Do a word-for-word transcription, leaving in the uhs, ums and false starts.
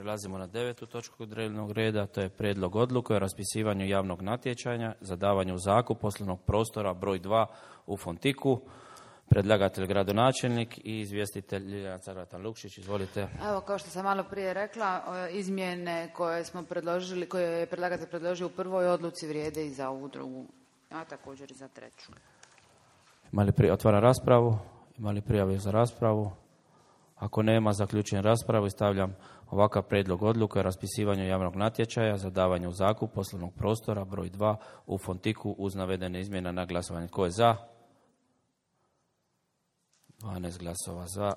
Prelazimo na devetu točku dnevnog reda, to je prijedlog odluke o raspisivanju javnog natječaja za davanje u zakup poslovnog prostora broj dva u Fontiku. Predlagatelj gradonačelnik i izvjestitelj Ljiljana Carvatan-Lukšić. Izvolite. Evo, kao što sam malo prije rekla, izmjene koje smo predložili, koje je predlagatelj predložio u prvoj odluci vrijede i za ovu drugu, a također i za treću. Ima li prije otvara raspravu? Ima li prijave za raspravu? Ako nema, zaključujem raspravu i stavljam ovakav prijedlog odluke o raspisivanju javnog natječaja za davanje u zakup poslovnog prostora broj dva u Fontiku uz navedene izmjene na glasovanje. Tko je za? dvanaest glasova za.